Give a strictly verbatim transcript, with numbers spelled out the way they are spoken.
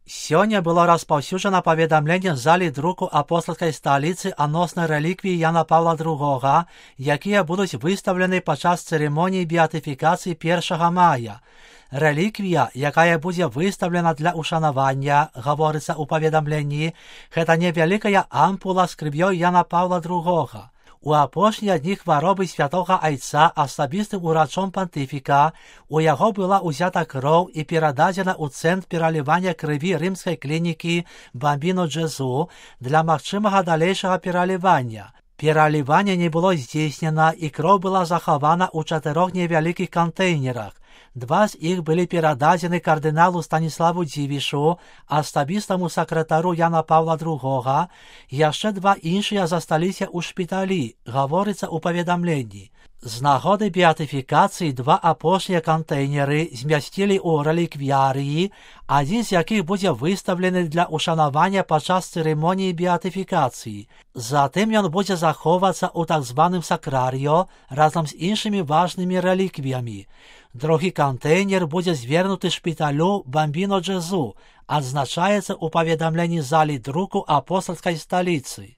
Сёння было распаўсюджана паведамленне з залі друку апостальскай сталіцы адносна рэліквій Яна Паўла другога, якія будуць выстаўлены падчас цырымоніі беатыфікацыі першага мая. Рэліквія, якая будзе выстаўлена для ушанавання, гаворыцца ў паведамленні, гэта невялікая ампула з крывёй Яна Паўла другога. У апошнія дні хваробы святога айца асабістым урачом пантыфіка у яго была ўзята кроў і перададзена ў цэнтр пералівання крыві рымскай клінікі Бамбіно Джезу для магчымага далейшага пералівання. Пераліванне не было здзейснена і кроў была захавана ў чатырох невялікіх кантэйнерах. Два з іх былі перададзены кардыналу Станіславу Дзівішу, асабістаму сакратару Яна Паўла другога, яшчэ два іншыя засталіся ў шпіталі, гаворыцца ў паведамленні. З нагоды беатыфікацыі два апошнія кантэйнеры змясцілі ў рэліквіярыі, адзін з якіх будзе выстаўлены для ушанавання падчас цырымоніі беатыфікацыі. Затым ён будзе захоўвацца ў так званым сакрарыё разам з іншымі важнымі рэліквіямі. Другі кантэйнер будзе звернуты шпіталю Бамбіно Джезу, адзначаецца ў паведамленні залі друку апостальскай сталіцы.